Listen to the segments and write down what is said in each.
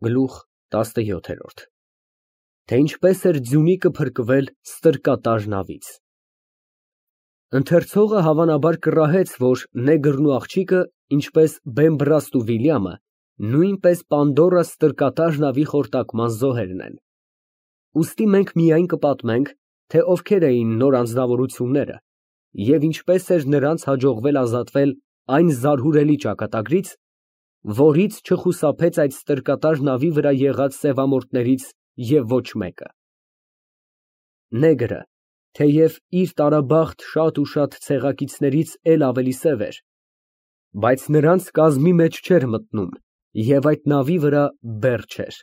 Գլուխ 17 Թե ինչպես էր Ձյունիկը փրկվել ստրկատար նավից։ Ընթերցողը հավանաբար կռահեց, որ նեգրն ու աղջիկը, ինչպես Բեմբրաստ ու Վիլյամը, նույնպես Պանդորա ստրկատար նավի խորտակման զոհերն են։ Ուստի մենք միայն կպատմենք, թե ովքեր էին նոր անձնավորությունները և ինչպես էր նրանց հաջողվել ազատվել այն զարհուրելի ճակատագրից, որից չխուսափեց այդ ստրկատար նավի վրա եղած սևամորթներից և ոչ մեկը։ Նեգրը, թեև իր տարաբախտ շատ ու շատ ցեղակիցներից էլ ավելի սև էր, բայց նրանց կազմի մեջ չէր մտնում և այդ նավի վրա բեռ չէր։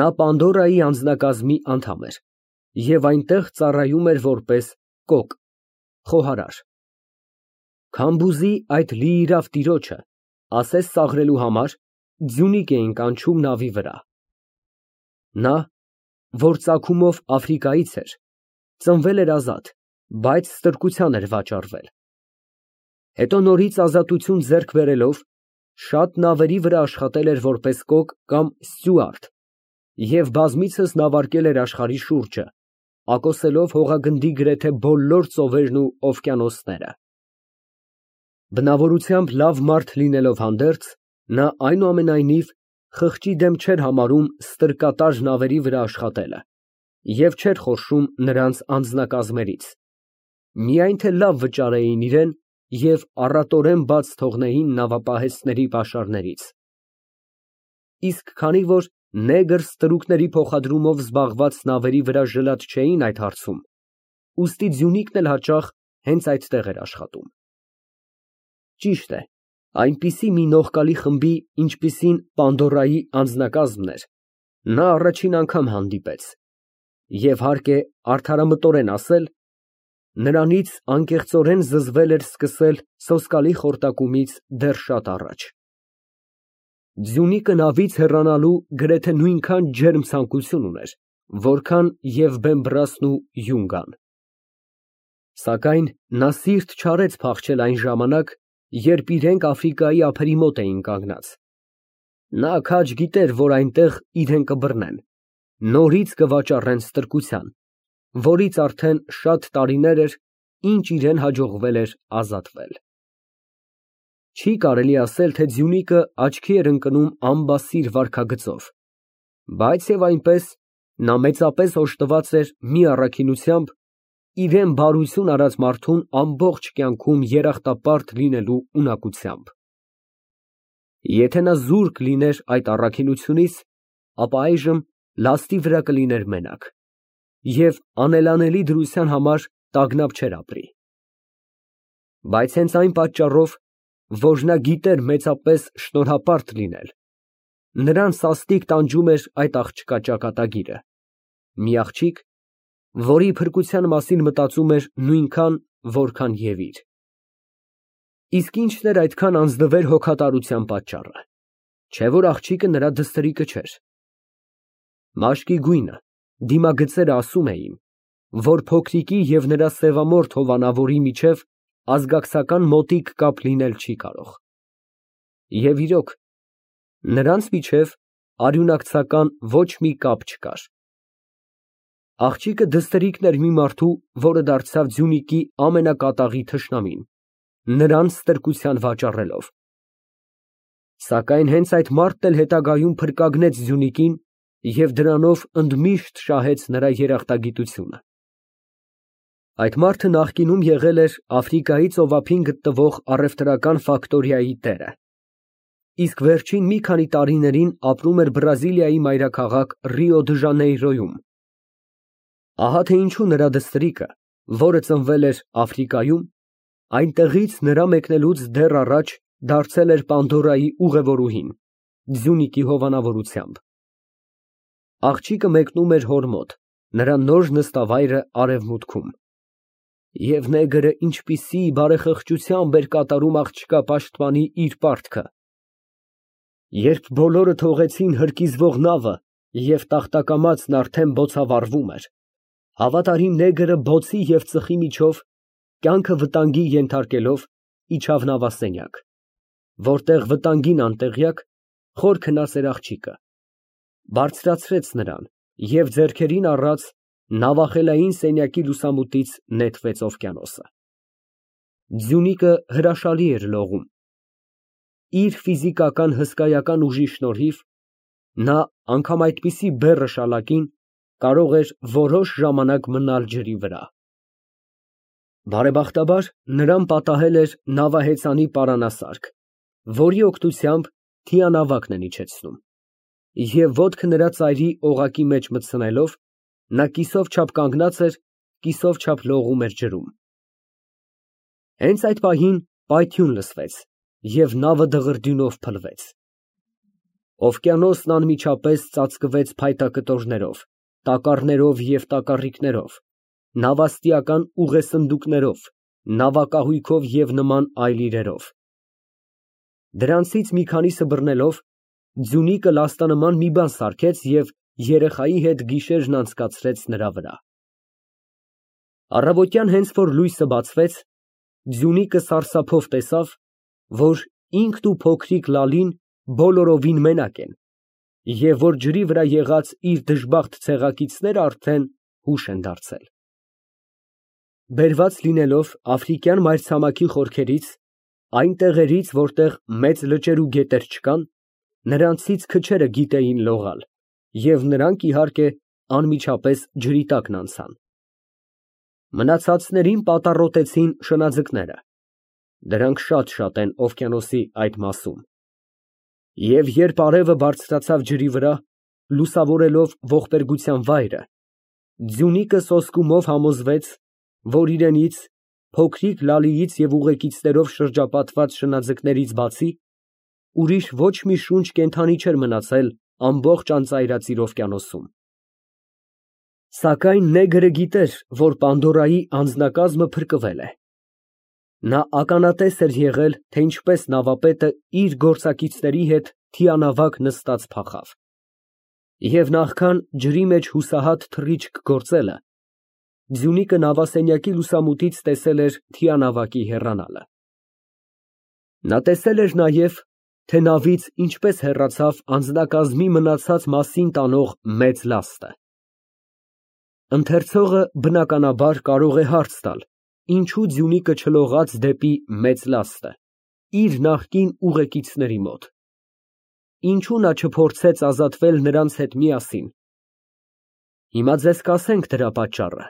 Նա Պանդորայի անձնակազմի անդամ էր և այնտեղ ծառայում էր որպես կոկ (խոհարար)։ Քամբուզի այդ լիիրավ տիրոջը, ասես ծաղրելու համար, Ձյունիկ էին կանչում նավի վրա։ Նա, որ ծագումով Աֆրիկայից էր, ծնվել էր ազատ, բայց ստրկության էր վաճառվել։ Հետո նորից ազատություն ձեռք բերելով, շատ նավերի վրա աշխատել էր որպես կոկ կամ ստյուարդ և բազմիցս նավարկել էր աշխարհի շուրջը, ակոսելով հողագնդի գրեթե բոլոր ծովերն ու օվկիանոսները։ Բնավորությամբ լավ մարդ լինելով հանդերձ, նա այնուամենայնիվ խղճի դեմ չէր համարում ստրկատար նավերի վրա աշխատելը և չէր խորշում նրանց անձնակազմերից, միայն թե լավ վճարեին իրեն և առատորեն բաց թողնեին նավապահեստների պաշարներից։ Իսկ քանի որ նեգր ստրուկների փոխադրումով զբաղված նավերի վրա ժլատ չէին այդ հարցում, ուստի Ձյունիկն էլ հաճախ հենց այդտեղ էր աշխատում։ Ճիշտ է, այնպիսի մի նողկալի խմբի, ինչպիսին Պանդորայի անձնակազմն էր, նա առաջին անգամ հանդիպեց և, հարկ է արդարամտորեն ասել, նրանից անկեղծորեն զզվել էր սկսել սոսկալի խորտակումից դեռ շատ առաջ։ Ձյունիկը նավից հեռանալու գրեթե նույնքան ջերմ ցանկություն ուներ, որքան և Բեմբրաստն ու Յունգան։ Սակայն նա սիրտ չարեց փախչել այն ժամանակ, երբ իրենք Աֆրիկայի ափերի մոտ էին կանգնած։ Նա քաջ գիտեր, որ այնտեղ իրեն կբռնեն, նորից կվաճառեն ստրկության, որից արդեն շատ տարիներ էր, ինչ իրան հաջողվել էր ազատվել։ Չի կարելի ասել, թե Ձյունիկը աչքի էր ընկնում ամբասիր վարքագծով, բայց և այնպես, նա մեծապես օժտված էր մի առաքինությամբ, իրան բարություն արած մարդուն ամբողջ կյանքում երախտապարտ լինելու ունակությամբ։ Եթե նա զուրկ լիներ այդ առաքինությունից, ապա այժմ լաստի վրա կլիներ մենակ և անելանելի դրության համար տագնապ չէր ապրի։ Բայց հենց այն պատճառով, որ նա գիտեր մեծապես շնորհապարտ լինել, նրան սաստիկ տանջում էր այդ աղջկա ճակատագիրը, մի աղջիկ, որի փրկության մասին մտածում էր նույնքան, որքան և իր։ Իսկ ի՞նչն էր այդքան անձնվեր հոգատարության պատճառը, չէ՞ որ աղջիկը նրա դստրիկը չէր։ Մաշկի գույնը, դիմագծերը ասում էին, որ փոքրիկի և նրա սևամորթ հովանավորի միջև ազգակցական մոտիկ կապ լինել չի կարող։ Եվ իրոք, նրանց միջև արյունակցական ոչ մի կապ չկար։ Աղջիկը դստրիկն էր մի մարդու, որը դարձավ Ձյունիկի ամենակատաղի թշնամին, նրան ստրկության վաճառելով։ Սակայն հենց այդ մարդն էլ հետագայում փրկագնեց Ձյունիկին և դրանով ընդմիշտ շահեց նրա երախտագիտությունը։ Այդ մարդը նախկինում եղել էր Աֆրիկայի ծովափին գտնվող առևտրական ֆակտորիայի տերը, իսկ վերջին մի քանի տարիներին ապրում էր Բրազիլիայի մայրաքաղաք Ռիո դը Ժանեյրոյում։ Ահա թե ինչու նրա դստրիկը, որը ծնվել էր Աֆրիկայում, այնտեղից նրա մեկնելուց դեռ առաջ դարձել էր Պանդորայի ուղևորուհին, Ձյունիկի հովանավորությամբ։ Աղջիկը մեկնում էր հոր մոտ, նրա նոր նստավայրը արևմուտքում։ Եվ նեգրը ինչպիսի բարեխղճությամբ էր կատարում աղջկա պաշտպանի իր պարտքը։ Երբ բոլորը թողեցին հրկիզվող նավը և տախտակամածն արդեն բոցավառվում էր, հավատարիմ նեգրը բոցի և ծխի միջով, կյանքը վտանգի ենթարկելով, իջավ նավասենյակ, որտեղ վտանգին անտեղյակ, խոր քնած էր աղջիկը, բարձրացրեց նրան և ձեռքերին առած նավախելային սենյակի լուսամուտից նետվեց օվկիանոսը։ Ձյունիկը հրաշալի էր լողում։ Իր ֆիզիկական հսկայական ուժի շնորհիվ նա անգամ այդպիսի բեռը շալակին կարող էր որոշ ժամանակ մնալ ջրի վրա։ Բարեբախտաբար նրան պատահել էր նավահեծանի պարանասարք, որի օգնությամբ թիանավակն են իջեցնում, և ոտքը նրա ծայրի օղակի մեջ մտցնելով, նա կիսով չափ կանգնած էր, կիսով չափ լողում էր ջրում։ Հենց այդ պահին պայթյուն լսվեց, և նավը դղրդյունով փլվեց։ Օվկիանոսն անմիջապես ծածկվեց փայտակտորներով, տակառներով և տակառիկներով, նավաստիական ուղեսնդուկներով, նավակահույքով և նման այլ իրերով։ Դրանցից մի քանիսը բռնելով, Ձյունիկը լաստանման մի բան սարքեց և երեխայի հետ գիշերն անցկացրեց նրա վրա։ Առավոտյան հենց որ լույսը բացվեց, Ձյունիկը սարսափով տեսավ, որ ինքն ու փոքրիկ Լալին բոլորովին մենակ են, և որ ջրի վրա եղած իր դժբախտ ցեղակիցները արդեն հուշ են դարձել։ Բերված լինելով աֆրիկյան մայրցամաքի խորքերից, այն տեղերից, որտեղ մեծ լճեր ու գետեր չկան, նրանցից քչերը գիտեին լողալ, և նրանք, իհարկե, անմիջապես ջրի տակն անցան։ Մնացածներին պատառոտեցին շնաձկները, դրանք շատ են օվկիանոսի այդ մասում, և երբ արևը բարձրացավ ջրի վրա, լուսավորելով ողբերգության վայրը, Ձյունիկը սոսկումով համոզվեց, որ իրենից, փոքրիկ Լալիից և ուղեկիցներով շրջապատված շնաձկներից բացի, ուրիշ ոչ մի շունչ կենդանի չէր մնացել ամբողջ անծայրածիր օվկիանոսում։ Սակայն նեգրը գիտեր, որ Պանդորայի անձնակազմը փրկվել է։ Նա ականատես էր եղել, թե ինչպես նավապետը իր գործակիցների հետ թիանավակ նստած փախավ, և նախքան ջրի մեջ հուսահատ թռիչք գործելը, Ձյունիկը նավասենյակի լուսամուտից տեսել էր թիանավակի հեռանալը։ Նա տեսել էր նաև, թե նավից ինչպես հեռացավ անձնակազմի մնացած մասին տանող մեծ լաստը։ Ընթերցողը, բնականաբար, կարող է հարց տալ, ինչու Ձյունիկը չլողաց դեպի մեծ լաստը, իր նախկին ուղեկիցների մոտ։ Ինչու նա չփորձեց ազատվել նրանց հետ միասին։ Հիմա ձեզ կասենք դրա պատճառը։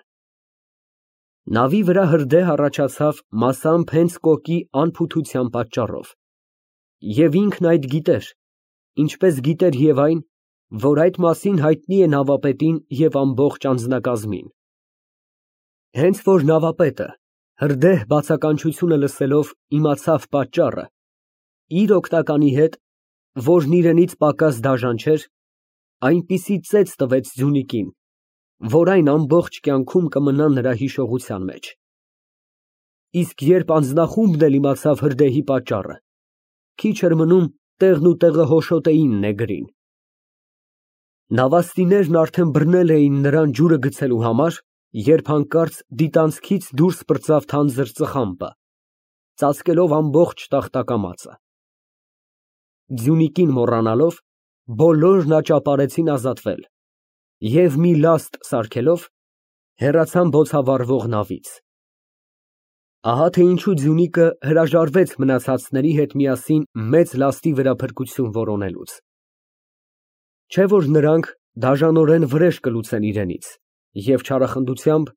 Նավի վրա հրդեհ առաջացավ մասամբ հենց կոկի անփութության պատճառով, և ինքն այդ գիտեր, ինչպես գիտեր և այն, որ այդ մասին հայտնի է նավապետին և ամբողջ անձնակազմին։ Հենց որ նավապետը, հրդեհ բացականչությունը լսելով, իմացավ պատճառը, իր օգնականի հետ, որն իրենից պակաս դաժան չէր, այնպիսի ծեծ տվեց Ձյունիկին, որ այն ամբողջ կյանքում կմնա նրա հիշողության մեջ։ Իսկ երբ անձնախումբն էլ իմացավ հրդեհի պատճառը, քիչ էր մնում տեղն ու տեղը հոշոտեին նեգրին։ Նավաստիներն արդեն բռնել էին նրան ջուրը գցելու համար, երբ հանկարծ դիտանցքից դուրս պրծավ թանձր ծխամբը, ծածկելով ամբողջ տախտակամածը։ Ձյունիկին մոռանալով, բոլորն աճապարեցին ազատվել և մի լաստ սարքելով, հեռացան բոցավառվող նավից։ Ահա թե ինչու Ձյունիկը հրաժարվեց մնացածների հետ միասին մեծ լաստի վրա փրկություն որոնելուց։ Չէ՞ որ նրանք դաժանորեն վրեժ կլուծեն իրենից և չարախնդությամբ,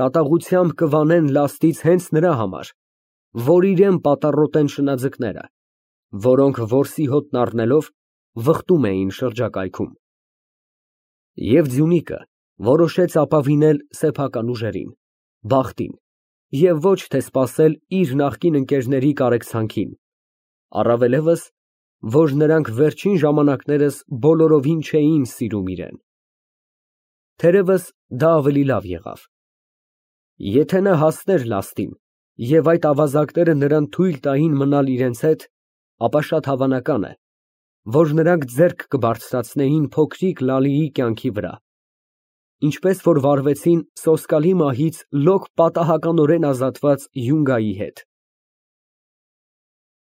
կատաղությամբ կվանեն լաստից հենց նրա համար, որ իրան պատառոտեն շնաձկները, որոնք որսի հոտն առնելով վխտում էին շրջակայքում։ Եվ Ձյունիկը որոշեց ապավինել սեփական ուժերին, բախտին, և ոչ թե սպասել իր նախկին ընկերների կարեկցանքին, առավելևս, որ նրանք վերջին ժամանակներս բոլորովին չէին սիրում իրան։ Թերևս դա ավելի լավ եղավ։ Եթե նա հասներ լաստին, և այդ ավազակները նրան թույլ տային մնալ իրենց հետ, ապա շատ հավանական է, որ նրանք ձեռք կբարձրացնեին փոքրիկ Լալիի կյանքի վրա, ինչպես որ վարվեցին սոսկալի մահից լոկ պատահականորեն ազատված Յունգայի հետ։